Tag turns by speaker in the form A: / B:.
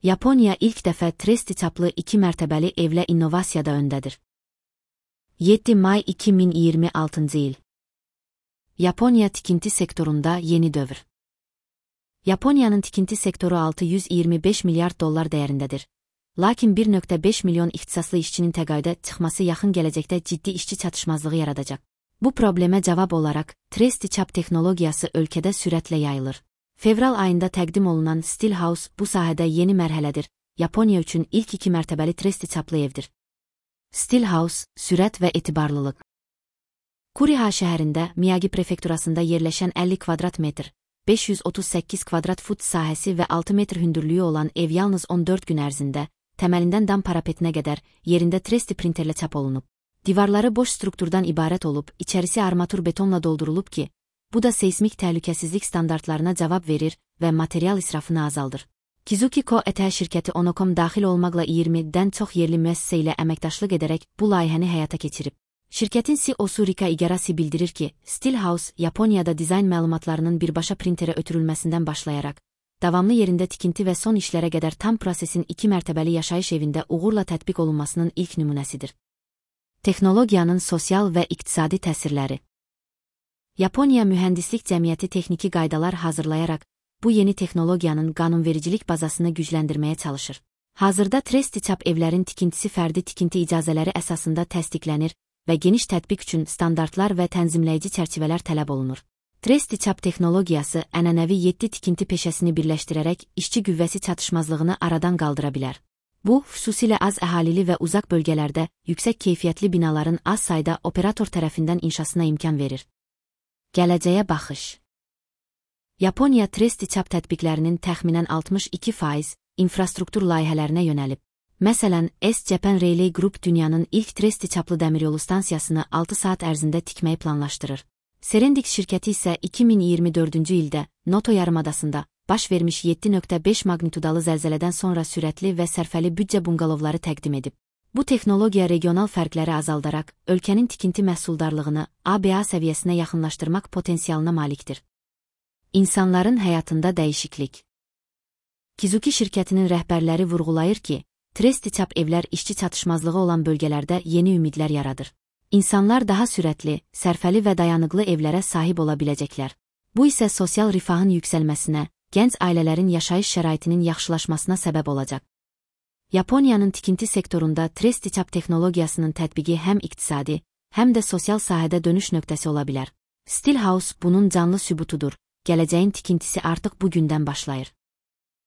A: Yaponiya ilk dəfə tresti çaplı 2 mərtəbəli evlə innovasiyada öndədir. 7 may 2026 il. Yaponiya tikinti sektorunda yeni dövr. Yaponiyanın tikinti sektoru 625 milyard dollar dəyərindədir. Lakin 1,5 milyon ixtisaslı işçinin təqaüdə çıxması yaxın gələcəkdə ciddi işçi çatışmazlığı yaradacaq. Bu problemə cavab olaraq, tresti çap texnologiyası ölkədə sürətlə yayılır. Fevral ayında təqdim olunan Steelhouse bu sahədə yeni mərhələdir. Yaponiya üçün ilk 2 mərtəbəli tresti çaplı evdir. Steelhouse, sürət və etibarlılıq. Kuriha şəhərində, Miyagi prefekturasında yerləşən 50 kvadrat metr, 538 kvadrat fut sahəsi və 6 metr hündürlüyü olan ev yalnız 14 gün ərzində, təməlindən dam parapetinə qədər yerində tresti printerlə çap olunub. Divarları boş strukturdan ibarət olub, içərisi armatur betonla doldurulub ki, bu da seismik təhlükəsizlik standartlarına cavab verir və material israfını azaldır. Kizuki Co. şirkəti Onocom daxil olmaqla 20-dən çox yerli müəssisə ilə əməkdaşlıq edərək bu layihəni həyata keçirib. Şirkətin CEO-su Rika Igarashi bildirir ki, Steelhouse, Yaponiyada dizayn məlumatlarının birbaşa printerə ötürülməsindən başlayaraq, davamlı yerində tikinti və son işlərə qədər tam prosesin 2 mərtəbəli yaşayış evində uğurla tətbiq olunmasının ilk nümunəsidir. Texnologiyanın sosial və iqtisadi təsirləri. Yaponiya Mühəndislik Cəmiyyəti texniki qaydalar hazırlayaraq, bu yeni texnologiyanın qanunvericilik bazasını gücləndirməyə çalışır. Hazırda tresti çap evlərin tikintisi fərdi tikinti icazələri əsasında təsdiqlənir və geniş tətbiq üçün standartlar və tənzimləyici çərçivələr tələb olunur. Tresti çap texnologiyası ənənəvi 7 tikinti peşəsini birləşdirərək işçi qüvvəsi çatışmazlığını aradan qaldıra bilər. Bu, xüsusilə az əhalili və uzaq bölgələrdə yüksək keyfiyyətli binaların az sayda operator tərəfindən inşasına imkan verir. Gələcəyə baxış. Yaponiya tresti çap tətbiqlərinin təxminən 62% infrastruktur layihələrinə yönəlib. Məsələn, S-Japan Railway Group dünyanın ilk tresti çaplı dəmiryolu stansiyasını 6 saat ərzində tikməyi planlaşdırır. Serendix şirkəti isə 2024-cü ildə Noto yarımadasında baş vermiş 7,5 magnitudalı zəlzələdən sonra sürətli və sərfəli büdcə bunqalovları təqdim edib. Bu texnologiya regional fərqləri azaldaraq, ölkənin tikinti məhsuldarlığını ABA səviyyəsinə yaxınlaşdırmaq potensialına malikdir. İnsanların həyatında dəyişiklik. Kizuki şirkətinin rəhbərləri vurğulayır ki, tresti çap evlər işçi çatışmazlığı olan bölgələrdə yeni ümidlər yaradır. İnsanlar daha sürətli, sərfəli və dayanıqlı evlərə sahib ola biləcəklər. Bu isə sosial rifahın yüksəlməsinə, gənc ailələrin yaşayış şəraitinin yaxşılaşmasına səbəb olacaq. Yaponiyanın tikinti sektorunda tresti çap texnologiyasının tətbiqi həm iqtisadi, həm də sosial sahədə dönüş nöqtəsi ola bilər. Steelhouse bunun canlı sübutudur. Gələcəyin tikintisi artıq bu gündən başlayır.